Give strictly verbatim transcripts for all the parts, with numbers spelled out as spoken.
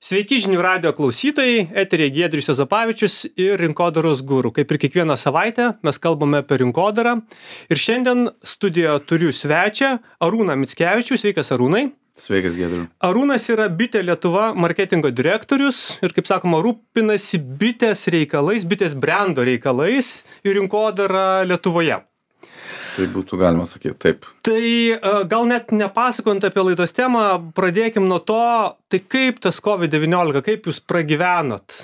Sveiki žinių radijo klausytojai, eteryje Giedrius Juozapavičius ir rinkodaros guru. Kaip ir kiekvieną savaitę mes kalbame apie rinkodarą. Ir šiandien studijoje turiu svečią Arūną Mickevičių. Sveikas Arūnai. Sveikas Giedriu. Arūnas yra Bitė Lietuva marketingo direktorius ir, kaip sakoma, rūpinasi bitės reikalais, bitės brendo reikalais ir rinkodara Lietuvoje. Tai būtų galima sakyti, taip. Tai gal net nepasakojant apie laidos temą, pradėkim nuo to, tai kaip tas COVID devyniolika, kaip jūs pragyvenot?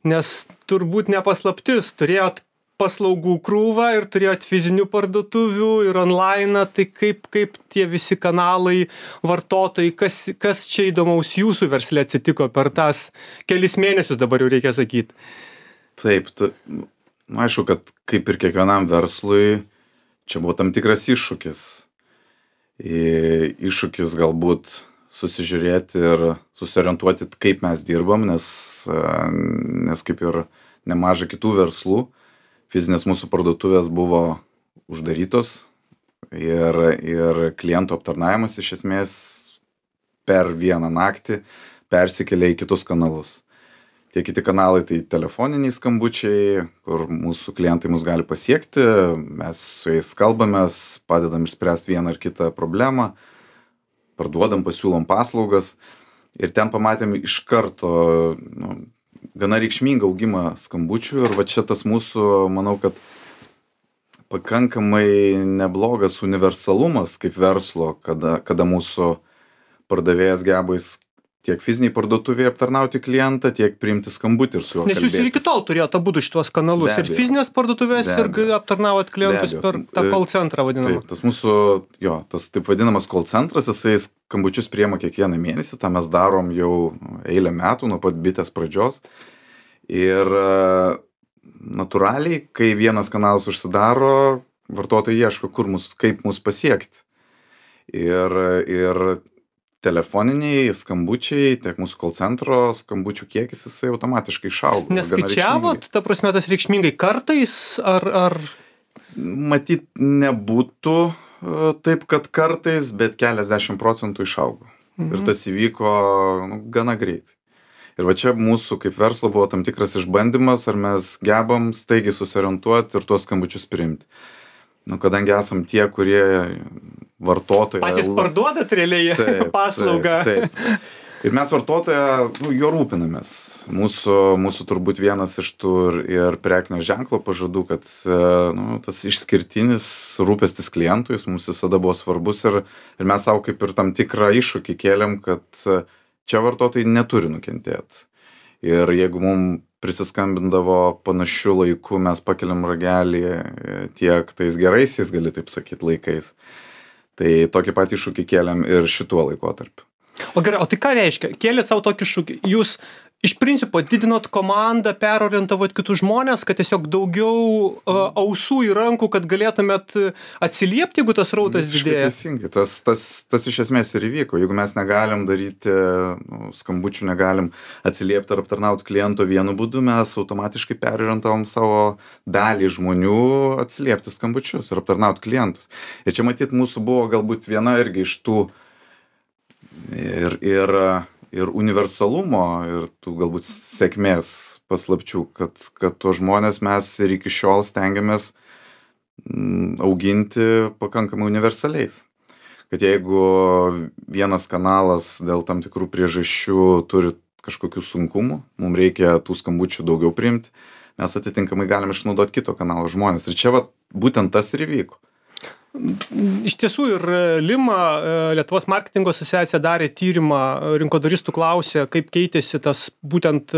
Nes turbūt nepaslaptis, turėjot paslaugų krūvą ir turėjot fizinių parduotuvių ir online, tai kaip, kaip tie visi kanalai, vartotojai, kas, kas čia įdomaus jūsų versle atsitiko per tas kelis mėnesius, dabar jau reikia sakyti? Taip, ta, aišku, kad kaip ir kiekvienam verslui, čia buvo tam tikras iššūkis. Iššūkis galbūt susižiūrėti ir susiorientuoti, kaip mes dirbam, nes, nes kaip ir nemaža kitų verslų, fizinės mūsų parduotuvės buvo uždarytos ir, ir klientų aptarnavimas iš esmės per vieną naktį persikėlė į kitus kanalus. Tie kiti kanalai tai telefoniniai skambučiai, kur mūsų klientai mus gali pasiekti, mes su jais kalbamės, padedam išspręsti vieną ar kitą problemą, parduodam, pasiūlom paslaugas ir ten pamatėm iš karto nu, gana reikšmingą augimą skambučių ir va čia tas mūsų, manau, kad pakankamai neblogas universalumas kaip verslo, kada, kada mūsų pardavėjas geba tiek fiziniai parduotuvėje aptarnauti klientą, tiek priimti skambutį ir su juo kalbėtis. Nes jūs ir iki tol turėjote abudu šitos kanalus, ir fizinės parduotuvės, ir aptarnavot klientus per tą call centrą vadinamą. Taip, tas mūsų, jo, tas taip vadinamas call centras, jisai skambučius priima kiekvieną mėnesį, tą mes darom jau eilę metų, nuo pat bitės pradžios. Ir natūraliai, kai vienas kanalas užsidaro, vartotojai ieško, kur mus, kaip mus pasiekti. Ir, ir telefoniniai skambučiai, tiek mūsų call centro skambučių kiekis, jisai automatiškai išaugo. Neskaičiavot, ta prasme, tas reikšmingai kartais, ar... ar... Matyt, nebūtų taip, kad kartais, bet keliasdešimt procentų išaugo. Mhm. Ir tas įvyko nu, gana greitai. Ir va čia mūsų kaip verslo buvo tam tikras išbandymas, ar mes gebam staigiai susiorientuoti ir tuos skambučius priimti. Nu, kadangi esam tie, kurie vartotoją... Patys parduodat realiai taip, paslaugą. Taip, taip. Ir mes vartotoją, nu, jo rūpinamės. Mūsų, mūsų turbūt vienas iš tų ir, ir prekinio ženklo pažadų, kad nu, tas išskirtinis rūpestis klientui, jis mums visada buvo svarbus ir, ir mes savo kaip ir tam tikrą iššūkį kėlėm, kad čia vartotojai neturi nukentėti. Ir jeigu mums prisiskambindavo panašiu laiku, mes pakeliam ragelį tiek tais geraisiais, gali taip sakyti, laikais. Tai tokį patį iššūkį kėlėm ir šituo laikotarpiu. O gerai, o tai ką reiškia? Kėlėt savo tokį iššūkį. Jūs iš principo didinot komandą, perorientavot kitus žmonės, kad tiesiog daugiau uh, ausų į rankų, kad galėtumėt atsiliepti, jeigu tas rautas didėja? Teisingai, tas, tas, tas iš esmės ir įvyko. Jeigu mes negalim daryti, nu, skambučių negalim atsiliepti ar aptarnauti kliento vienu būdu, mes automatiškai perorientavom savo dalį žmonių atsiliepti skambučius ir aptarnauti klientus. Ir čia matyt mūsų buvo galbūt viena irgi iš tų ir, ir ir universalumo, ir tų galbūt sėkmės paslapčių, kad, kad tuos žmonės mes ir iki šiol stengiamės auginti pakankamai universaliais. Kad jeigu vienas kanalas dėl tam tikrų priežasčių turi kažkokių sunkumų, mums reikia tų skambučių daugiau priimti, mes atitinkamai galim išnaudoti kito kanalo žmonės. Ir čia va, būtent tas ir įvyko. Iš tiesų ir Lima, Lietuvos marketingo asociacija, darė tyrimą, rinkodaristų klausė, kaip keitėsi tas būtent,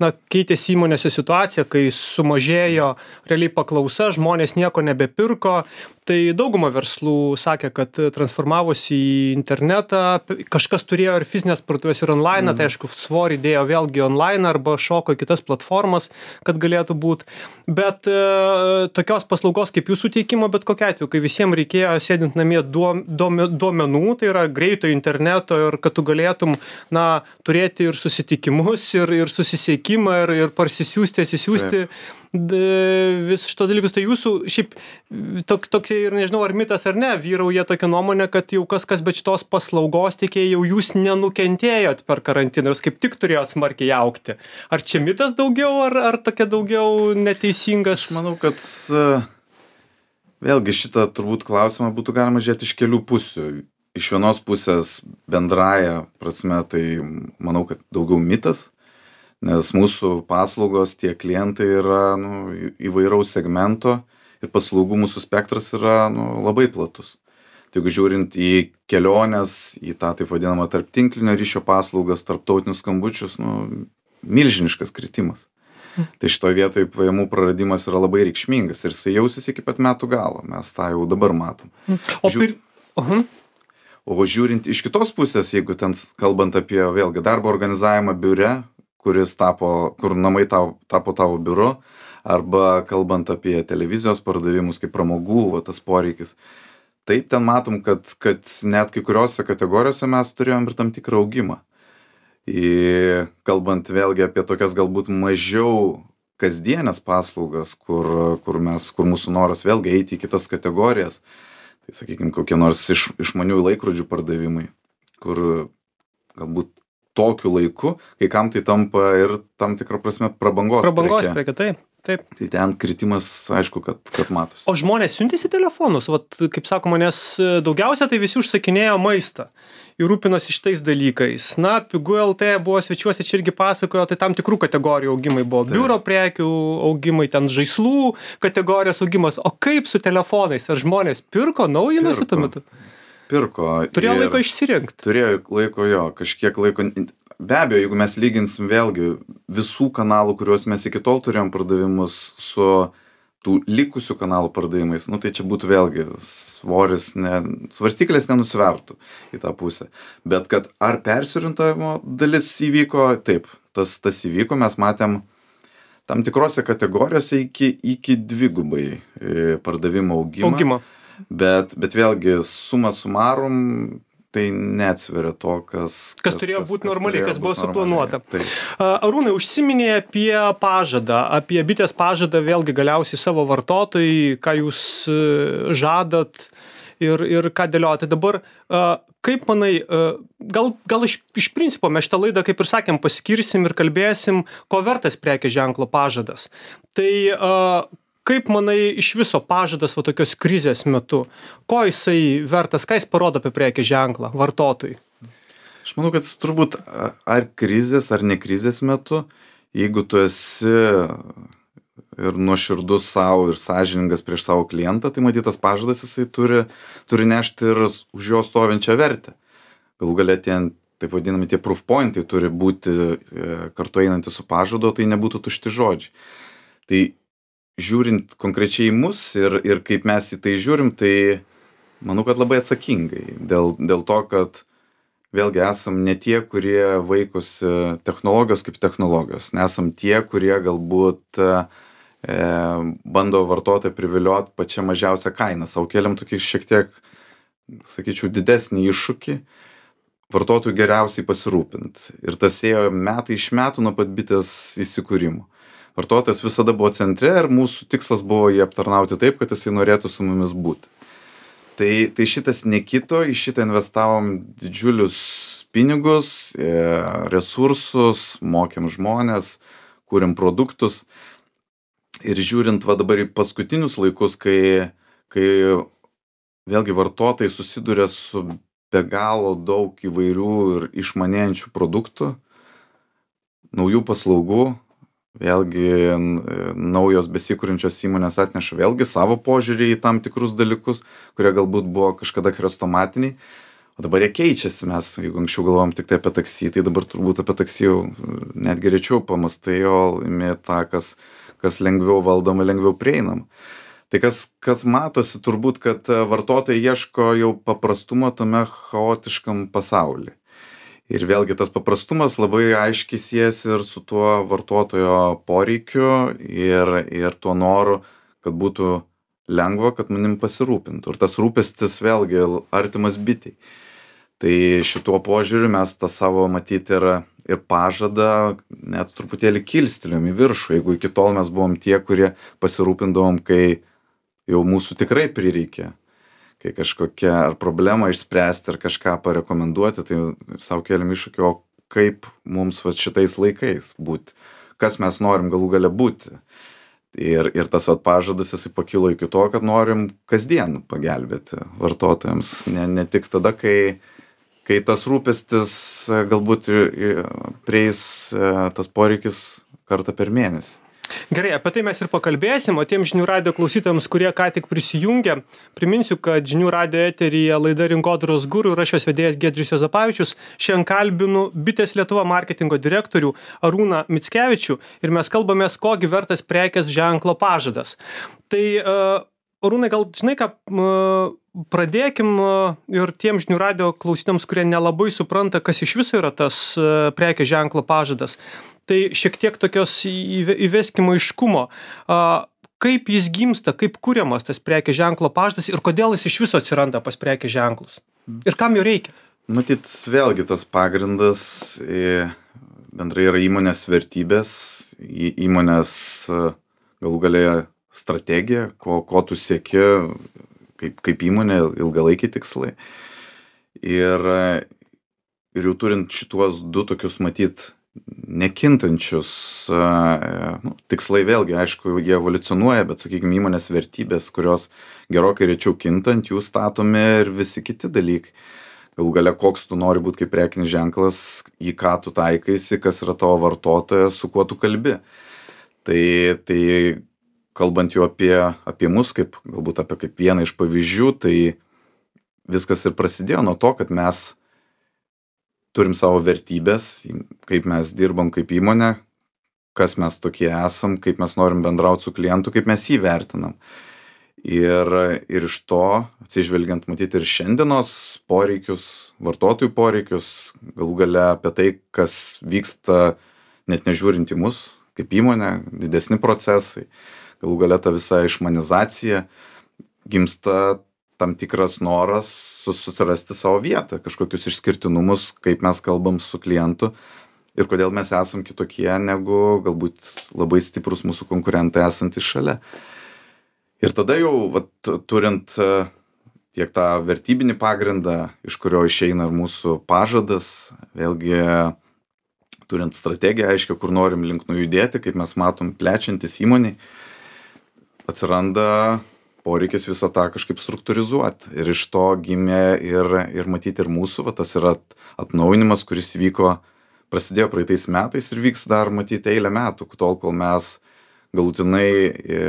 na, keitėsi įmonėse situacija, kai sumažėjo realiai paklausa, žmonės nieko nebepirko. Tai dauguma verslų sakė, kad transformavosi į internetą, kažkas turėjo ir fizinės parduotuvės ir online, mm. tai aišku, svorį dėjo vėlgi online arba šoko į kitas platformas, kad galėtų būti. Bet e, tokios paslaugos kaip jūsų teikimo, bet kokia atveju, kai visiems reikėjo sėdint namie duomenų, tai yra greito interneto ir kad tu galėtum, na, turėti ir susitikimus, ir, ir susisiekimą, ir, ir parsisiųsti, atsisiųsti. Vis šitos dalykus, tai jūsų šiaip tok, tokie čia ir nežinau, ar mitas ar ne, vyrauja tokia nuomonė, kad jau kas kas bet šitos paslaugos teikėjai jau jūs nenukentėjot per karantiną, jūs kaip tik turėjot smarkiai augti. Ar čia mitas daugiau, ar, ar tokia daugiau neteisingas? Aš manau, kad vėlgi šitą turbūt klausimą būtų galima žiūrėti iš kelių pusių. Iš vienos pusės bendraja prasme, tai manau, kad daugiau mitas, nes mūsų paslaugos, tie klientai yra nu, įvairaus segmento ir paslaugų mūsų spektras yra nu, labai platus. Tai jeigu žiūrint į keliones, į tą taip vadinamą tarptinklinio ryšio paslaugas, tarptautinius skambučius, nu, milžiniškas kritimas. Tai šitoje vietoje pajamų praradimas yra labai reikšmingas ir jisai jausis iki pat metų galo. Mes tą jau dabar matom. O, pir... uh-huh. o žiūrint iš kitos pusės, jeigu ten kalbant apie vėlgi darbo organizavimą biure, kuris tapo, kur namai tau, tapo tavo biuru, arba kalbant apie televizijos pardavimus kaip pramogų, va, tas poreikis. Taip ten matom, kad, kad net kai kuriuose kategorijose mes turėjom ir tam tikrą augimą. Į, kalbant vėlgi apie tokias galbūt mažiau kasdienės paslaugas, kur, kur, mes, kur mūsų noras vėlgi eiti į kitas kategorijas, tai sakykime, kokie nors iš, išmaniųjų laikrodžių pardavimai, kur galbūt tokiu laiku, kai kam tai tampa ir tam tikrą prasme prabangos, prabangos preke. Preke, taip. Taip. Tai ten kritimas, aišku, kad, kad matosi. O žmonės siuntėsi telefonus, vat, kaip sakoma, nes daugiausia tai visi užsakinėjo maistą ir rūpinosi šitais dalykais. Na, Pigu L T buvo svečiuose, čia irgi pasakojo, tai tam tikrų kategorijų augimai buvo. Taip. Biuro prekių augimai, ten žaislų kategorijos augimas. O kaip su telefonais? Ar žmonės pirko, naujinosi tuo metu? Pirko. Turėjo laiko išsirinkti. Turėjo laiko jo, kažkiek laiko. Be abejo, jeigu mes lyginsim vėlgi visų kanalų, kuriuos mes iki tol turėjom pardavimus su tų likusių kanalų pardavimais, nu tai čia būtų vėlgi svoris, ne, svarstyklės nenusvertų į tą pusę. Bet kad ar persiorientavimo dalis įvyko, taip, tas, tas įvyko, mes matėm tam tikrose kategorijose iki, iki dvigubai pardavimo augimą. Augimo. Bet, bet vėlgi suma sumarum, tai neatsveria to, kas... Kas, kas turėjo būti normaliai, kas buvo suplanuota. Arūnai, užsiminė apie pažadą, apie bitės pažadą vėlgi galiausiai savo vartotojai, ką jūs žadat ir, ir ką dėliojate. Dabar, kaip manai, gal, gal iš, iš principo mes šitą laidą, kaip ir sakėm, paskirsim ir kalbėsim, ko vertas prekės ženklo pažadas. Tai... Kaip manai iš viso pažadas va tokios krizės metu? Ko jisai vertas, ką jis parodo apie prekės ženklą vartotojui? Aš manau, kad jis turbūt ar krizės, ar ne krizės metu, jeigu tu esi ir nuoširdus savo ir sąžiningas prieš savo klientą, tai matyt, tas pažadas jisai turi, turi nešti ir už jo stovinčią vertę. Galų galia tie, taip vadinami, tie proof pointai turi būti kartu einantys su pažadu, tai nebūtų tušti žodžiai. Tai žiūrint konkrečiai į mus ir, ir kaip mes į tai žiūrim, tai manau, kad labai atsakingai. Dėl, dėl to, kad vėlgi esam ne tie, kurie vaikosi technologijos kaip technologijos. Nesam tie, kurie galbūt e, bando vartotoją privilioti pačią mažiausią kainą. Sau keliam tokį šiek tiek, sakyčiau, didesnį iššūkį. Vartotojų geriausiai pasirūpinti. Ir tas ėjo metai iš metų nuo pat bitės įsikūrimo. Vartotojas visada buvo centre ir mūsų tikslas buvo jį aptarnauti taip, kad jisai norėtų su mumis būti. Tai, tai šitas nekito, į šitą investavom didžiulius pinigus, resursus, mokėm žmonės, kūrėm produktus. Ir žiūrint va dabar į paskutinius laikus, kai, kai vėlgi vartotojai susiduria su be galo daug įvairių ir išmanėjančių produktų, naujų paslaugų, vėlgi naujos besikūrinčios įmonės atneša vėlgi savo požiūrį į tam tikrus dalykus, kurie galbūt buvo kažkada chrestomatiniai, o dabar jie keičiasi. Mes, jeigu anksčiau galvojom tik tai apie taksį, tai dabar turbūt apie taksį jau netgi rečiau pamastai, o imi tą, kas, kas lengviau valdoma, lengviau prieinama. Tai kas, kas matosi turbūt, kad vartotojai ieško jau paprastumo tame chaotiškam pasaulyje. Ir vėlgi tas paprastumas labai aiškiai siejasi ir su tuo vartotojo poreikiu ir, ir tuo noru, kad būtų lengva, kad manim pasirūpintų. Ir tas rūpestis vėlgi artimas bitei. Tai šituo požiūriu mes tą savo matyti ir, ir pažadą net truputėlį kilstelėm į viršų. Jeigu iki tol mes buvom tie, kurie pasirūpindavom, kai jau mūsų tikrai prireikia, kai kažkokią ar problemą išspręsti, ar kažką parekomenduoti, tai sau keliam iššūkį, o kaip mums vat šitais laikais būti, kas mes norim galų gale būti. Ir, ir tas vat pažadas jisai pakilo iki to, kad norim kasdien pagelbėti vartotojams, ne, ne tik tada, kai, kai tas rūpestis galbūt prieis tas poreikis kartą per mėnesį. Gerai, apie tai mes ir pakalbėsim, o tiem žinių radijo klausytojams, kurie ką tik prisijungia, priminsiu, kad žinių radijo eteryje laida Rinkodaros guru ir aš jos vedėjas Giedrius Juozapavičius. Šiandien kalbinu Bitės Lietuva marketingo direktorių Arūną Mickevičių ir mes kalbamės, kogi vertas prekės ženklo pažadas. Tai uh, Arūnai, gal žinai ką, uh, pradėkim uh, ir tiem žinių radijo klausytojams, kurie nelabai supranta, kas iš viso yra tas uh, prekės ženklo pažadas. Tai šiek tiek tokios įveskimo aiškumo, kaip jis gimsta, kaip kuriamas tas prekės ženklo pažadas ir kodėl jis iš viso atsiranda pas prekės ženklus ir kam jo reikia. Matyt, vėlgi tas pagrindas bendrai yra įmonės vertybės, įmonės galų galėje strategija, ko, ko tu sieki kaip, kaip įmonė, ilgalaikiai tikslai. Ir, ir jau turint šituos du tokius matyt nekintančius nu, tikslai, vėlgi, aišku, jie evoliucionuoja, bet, sakykime, įmonės vertybės, kurios gerokai rečiau kintant, jų statomi ir visi kiti dalykai. Galų gale, koks tu nori būti kaip prekinis ženklas, į ką tu taikaisi, kas yra tavo vartotojas, su kuo tu kalbi. Tai, tai kalbant jau apie, apie mus, kaip, galbūt apie kaip vieną iš pavyzdžių, tai viskas ir prasidėjo nuo to, kad mes turim savo vertybės, kaip mes dirbam kaip įmonė, kas mes tokie esam, kaip mes norim bendrauti su klientu, kaip mes jį vertinam. Ir, ir iš to, atsižvelgiant matyti ir šiandienos poreikius, vartotojų poreikius, galų gale apie tai, kas vyksta net nežiūrint į mus, kaip įmonė, didesni procesai, galų gale ta visa išmanizacija, gimsta tam tikras noras susirasti savo vietą, kažkokius išskirtinumus, kaip mes kalbam su klientu ir kodėl mes esam kitokie negu galbūt labai stiprus mūsų konkurentai esantys šalia. Ir tada jau, vat, turint tiek tą vertybinį pagrindą, iš kurio išeina ir mūsų pažadas, vėlgi turint strategiją aiškiai, kur norim link nujudėti, kaip mes matom plečiantis įmoniai, atsiranda poreikis visą tą kažkaip struktūrizuoti. Ir iš to gimė ir, ir matyti ir mūsų, va, tas yra atnaujinimas, kuris vyko, prasidėjo praeitais metais ir vyks dar matyti eilę metų, tol kol mes galutinai e,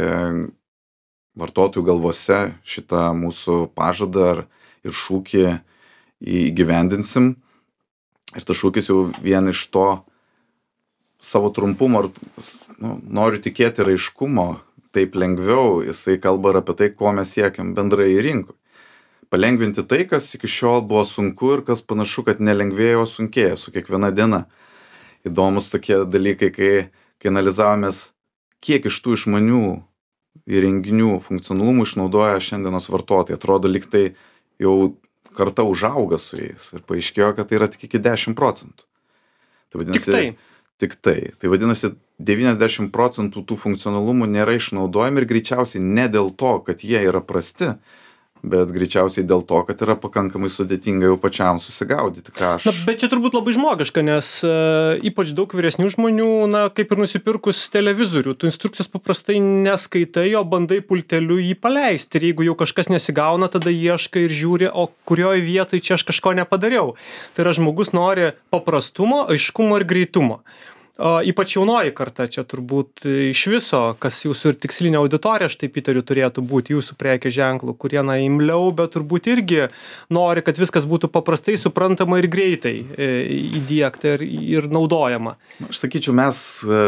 vartotojų galvose šitą mūsų pažadą ir šūkį įgyvendinsim. Ir tas šūkis jau vien iš to savo trumpumo, nu, noriu tikėti raiškumo, taip lengviau, jisai kalba ir apie tai, ko mes siekiam bendrai rinkoj. Palengvinti tai, kas iki šiol buvo sunku ir kas panašu, kad nelengvėjo, sunkėjo su kiekviena diena. Įdomus tokie dalykai, kai, kai analizavomės, kiek iš tų išmanių įrenginių funkcionalumų išnaudoja šiandienos vartotojai. Atrodo, lyg tai jau karta užauga su jais ir paaiškėjo, kad tai yra tik iki dešimt procentų. Tai vadinasi, tik tai. Tik tai. Tai vadinasi, devyniasdešimt procentų tų funkcionalumų nėra išnaudojami ir greičiausiai ne dėl to, kad jie yra prasti, bet greičiausiai dėl to, kad yra pakankamai sudėtinga jau pačiam susigaudyti, ką aš... Na, bet čia turbūt labai žmogiška, nes uh, ypač daug vyresnių žmonių, na, kaip ir nusipirkus televizorių, tu instrukcijos paprastai neskaitai, o bandai pulteliu jį paleisti. Ir jeigu jau kažkas nesigauna, tada ieškai ir žiūri, o kurioje vietoje čia aš kažko nepadariau. Tai yra, žmogus nori paprastumo, aiškumo ir greitumo. O ypač jaunoji karta čia turbūt iš viso, kas jūsų ir tikslinė auditorija, aš taip įtariu, turėtų būti jūsų prekės ženklų, kurie na imliau, bet turbūt irgi nori, kad viskas būtų paprastai, suprantama ir greitai e, įdiegta ir, ir naudojama. Aš sakyčiau, mes e,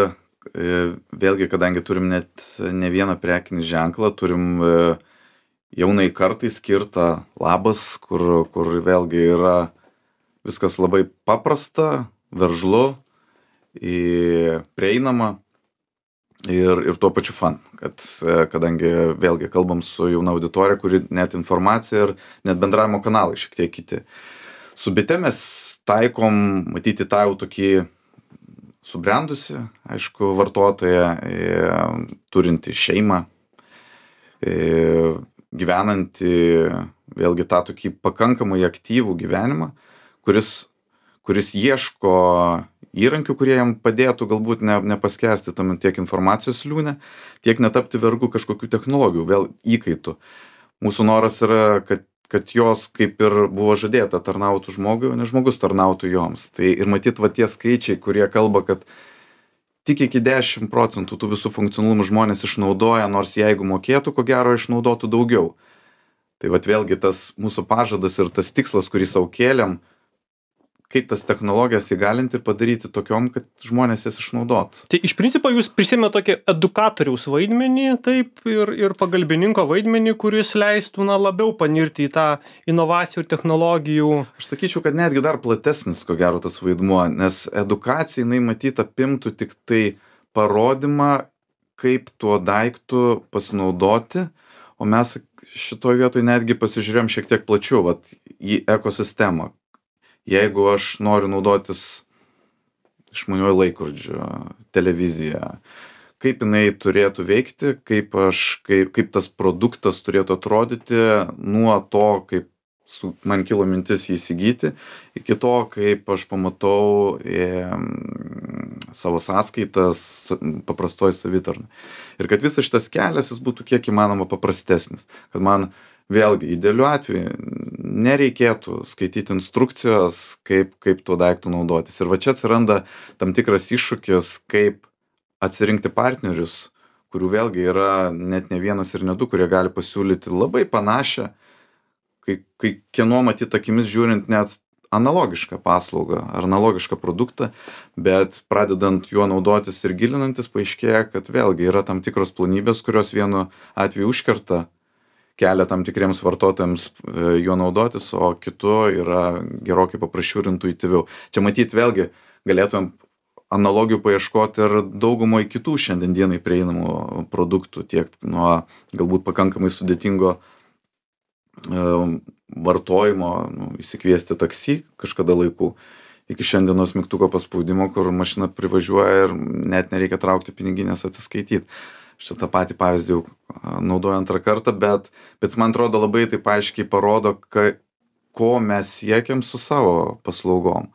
vėlgi, kadangi turim net ne vieną prekinį ženklą, turim e, jaunai kartai skirtą labas, kur, kur vėlgi yra viskas labai paprasta, veržlu, į prieinamą ir, ir tuo pačiu fan, kad kadangi vėlgi kalbam su jauna auditorija, kuri net informacija ir net bendravimo kanalai šiek tiek kiti. Su Bite mes taikom, matyti tą jau tokį subrendusi, aišku, vartotoją, turinti šeimą, gyvenantį vėlgi tą tokį pakankamai aktyvų gyvenimą, kuris, kuris ieško įrankių, kurie jam padėtų galbūt ne, nepaskesti tam tiek informacijos liūne, tiek netapti vergu kažkokių technologijų, vėl įkaitų. Mūsų noras yra, kad, kad jos kaip ir buvo žadėta tarnautų žmogui, o ne žmogus tarnautų joms. Tai ir matyt, va tie skaičiai, kurie kalba, kad tik iki dešimt procentų tų visų funkcionalumų žmonės išnaudoja, nors jeigu mokėtų, ko gero išnaudotų daugiau. Tai vat vėlgi tas mūsų pažadas ir tas tikslas, kurį sau kėlėm, kaip tas technologijas įgalinti ir padaryti tokiom, kad žmonės jas išnaudotų. Tai iš principo jūs prisėmė tokį edukatoriaus vaidmenį, taip, ir, ir pagalbininko vaidmenį, kuris leistų na, labiau panirti į tą inovacijų ir technologijų. Aš sakyčiau, kad netgi dar platesnis, ko gero, tas vaidmuo, nes edukacija, jinai matyt apimtų tik tai parodymą, kaip tuo daiktu pasinaudoti, o mes šitoje vietoje netgi pasižiūrėjom šiek tiek plačiau, vat, į ekosistemą. Jeigu aš noriu naudotis išmaniuoju laikrodžiu, televiziją, kaip jinai turėtų veikti, kaip, aš, kaip, kaip tas produktas turėtų atrodyti nuo to, kaip su, man kilo mintis jį įsigyti, iki to, kaip aš pamatau e, savo sąskaitas paprastoj savitarnai. Ir kad visas šitas kelias jis būtų kiek įmanoma paprastesnis, kad man vėlgi, idealiu atveju nereikėtų skaityti instrukcijos, kaip, kaip tuo daiktu naudotis. Ir va čia atsiranda tam tikras iššūkis, kaip atsirinkti partnerius, kurių vėlgi yra net ne vienas ir ne du, kurie gali pasiūlyti labai panašią, kai, kai kieno matyt akimis žiūrint net analogišką paslaugą ar analogišką produktą, bet pradedant juo naudotis ir gilinantis, paaiškėja, kad vėlgi yra tam tikros planybės, kurios vienu atveju užkerta kelia tam tikriems vartotojams juo naudotis, o kitu yra gerokai paprasčiau ir intuityviau. Čia matyt vėlgi galėtumėm analogijų paieškoti ir daugumoje kitų šiandien dienai prieinamų produktų, tiek nuo galbūt pakankamai sudėtingo e, vartojimo, nu, įsikviesti taksi kažkada laikų, iki šiandienos mygtuko paspaudimo, kur mašina privažiuoja ir net nereikia traukti piniginės atsiskaityti. Šitą patį pavyzdį jau naudoju antrą kartą, bet, bet man atrodo labai taip aiškiai parodo, ka, ko mes siekiam su savo paslaugom.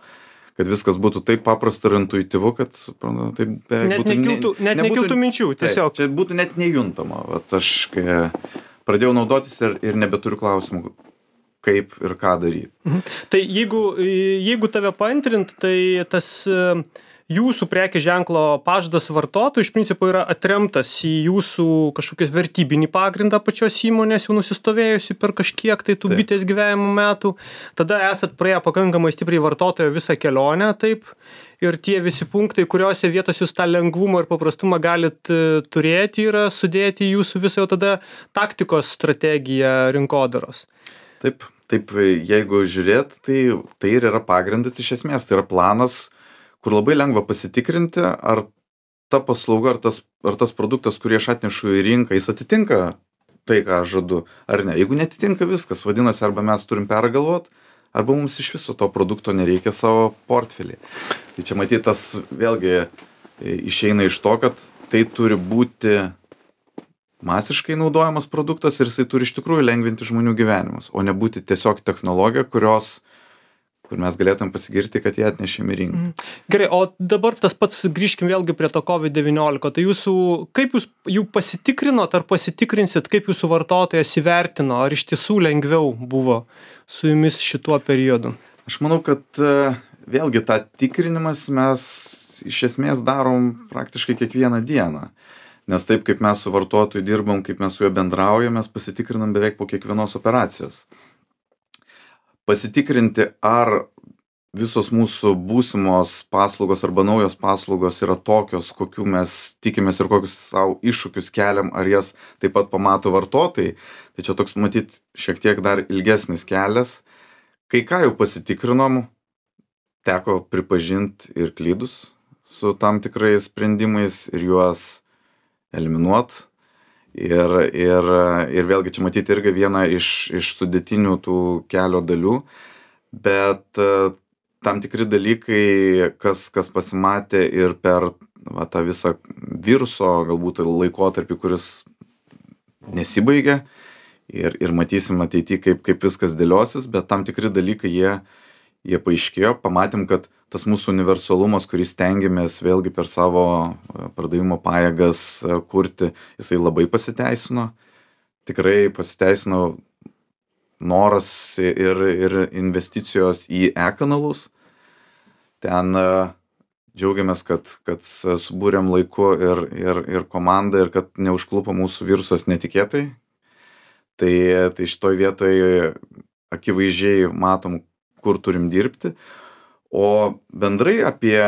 Kad viskas būtų taip paprasta ir intuityvu, kad taip net būtų, nekiltų, net nebūtų, nekiltų minčių, tiesiog. Taip, čia būtų net nejuntama. Vat aš kai pradėjau naudotis ir, ir nebeturiu klausimų, kaip ir ką daryti. Mhm. Tai jeigu, jeigu tave paantrint, tai tas jūsų prekės ženklo pažadas vartotojui iš principo yra atremtas į jūsų kažkokios vertybinį pagrindą pačios įmonės jau nusistovėjusi per kažkiek tai tų Taip. bitės gyvenimo metų. Tada esat praėję pakankamai stipriai vartotojo visą kelionę, taip. Ir tie visi punktai, kuriuose vietose jūs tą lengvumą ir paprastumą galit turėti, yra sudėti į jūsų visą jau tada taktikos strategiją rinkodaros. Taip, taip, jeigu žiūrėt, tai, tai ir yra pagrindas iš esmės, tai yra planas, kur labai lengva pasitikrinti, ar ta paslauga, ar tas, ar tas produktas, kurį aš atnešu į rinką, jis atitinka tai, ką aš žadu, ar ne. Jeigu netitinka viskas, vadinasi, arba mes turim pergalvot, arba mums iš viso to produkto nereikia savo portfelį. Tai čia matyt, tas vėlgi išeina iš to, kad tai turi būti masiškai naudojamas produktas ir jisai turi iš tikrųjų lengvinti žmonių gyvenimus, o nebūti tiesiog technologija, kurios kur mes galėtum pasigirti, kad jie atnešėm į rinką. Gerai, o dabar tas pats grįžkim vėlgi prie to COVID devyniolika. Tai jūsų, kaip jūs jų pasitikrinot ar pasitikrinsit, kaip jūsų vartotojas įvertino, ar iš tiesų lengviau buvo su jumis šituo periodu? Aš manau, kad vėlgi tą tikrinimas mes iš esmės darom praktiškai kiekvieną dieną. Nes taip, kaip mes su vartotoju dirbam, kaip mes su juo bendraujam, mes pasitikrinam beveik po kiekvienos operacijos. Pasitikrinti, ar visos mūsų būsimos paslaugos arba naujos paslaugos yra tokios, kokių mes tikimės ir kokius savo iššūkius keliam, ar jas taip pat pamato vartotojai. Tai čia toks, matyt, šiek tiek dar ilgesnis kelias. Kai ką jau pasitikrinom, teko pripažinti ir klydus su tam tikrais sprendimais ir juos eliminuot. Ir, ir, ir vėlgi čia matyti irgi viena iš, iš sudėtinių tų kelio dalių, bet tam tikri dalykai, kas, kas pasimatė ir per va, tą visą viruso galbūt laikotarpį, kuris nesibaigia ir, ir matysim ateityje, kaip, kaip viskas dėliosis, bet tam tikri dalykai jie, jie paaiškėjo, pamatėm, kad tas mūsų universalumas, kurį stengiamės vėlgi per savo pardavimo pajėgas kurti, jisai labai pasiteisino. Tikrai pasiteisino noras ir, ir investicijos į e-kanalus. Ten džiaugiamės, kad, kad subūrėm laiku ir, ir, ir komandą ir kad neužklupo mūsų virusas netikėtai. Tai, tai šitoj vietoj akivaizdžiai matom, kur turim dirbti. O bendrai apie,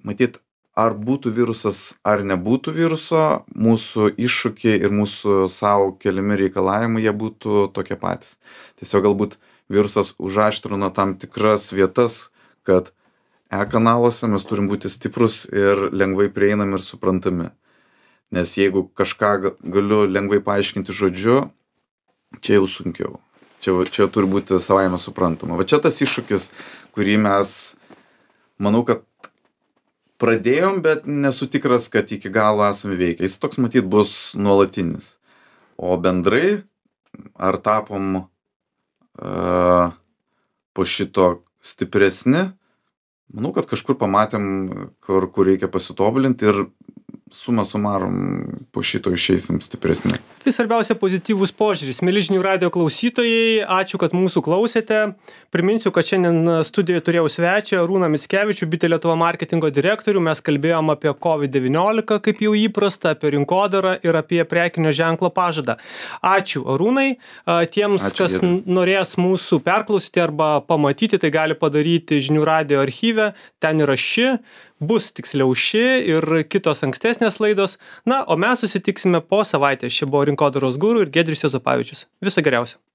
matyt, ar būtų virusas, ar nebūtų viruso, mūsų iššūkiai ir mūsų savo keliami reikalavimai, jie būtų tokie patys. Tiesiog galbūt virusas užaštrino tam tikras vietas, kad e-kanaluose mes turim būti stiprus ir lengvai prieinami ir suprantami. Nes jeigu kažką galiu lengvai paaiškinti žodžiu, čia jau sunkiau. Čia, čia turi būti savaime suprantama. Va čia tas iššūkis, kurį mes, manau, kad pradėjom, bet nesu tikras, kad iki galo esame veikę. Jis toks, matyt, bus nuolatinis. O bendrai, ar tapom uh, po šito stipresni, manau, kad kažkur pamatėm, kur, kur reikia pasitobulinti ir suma sumarum po šito išeisim stipresni. Tai svarbiausia pozityvus požiūris. Mieli žinių radijo klausytojai, ačiū, kad mūsų klausėte. Priminsiu, kad šiandien studijoje turėjau svečią Arūną Mickevičių, Bitė Lietuva marketingo direktorių. Mes kalbėjom apie kovid devyniolika, kaip jau įprasta, apie rinkodarą ir apie prekinio ženklo pažadą. Ačiū, Arūnai. Tiems, ačiū, kas ir norės mūsų perklausyti arba pamatyti, tai gali padaryti žinių radijo archyve. Ten yra ši, bus tiksliau ši ir kitos ankstesnės laidos. Na, o mes susitiksime po savaitės. Čia buvo Rinkodaros guru ir Giedrius Juozapavičius. Viso geriausio.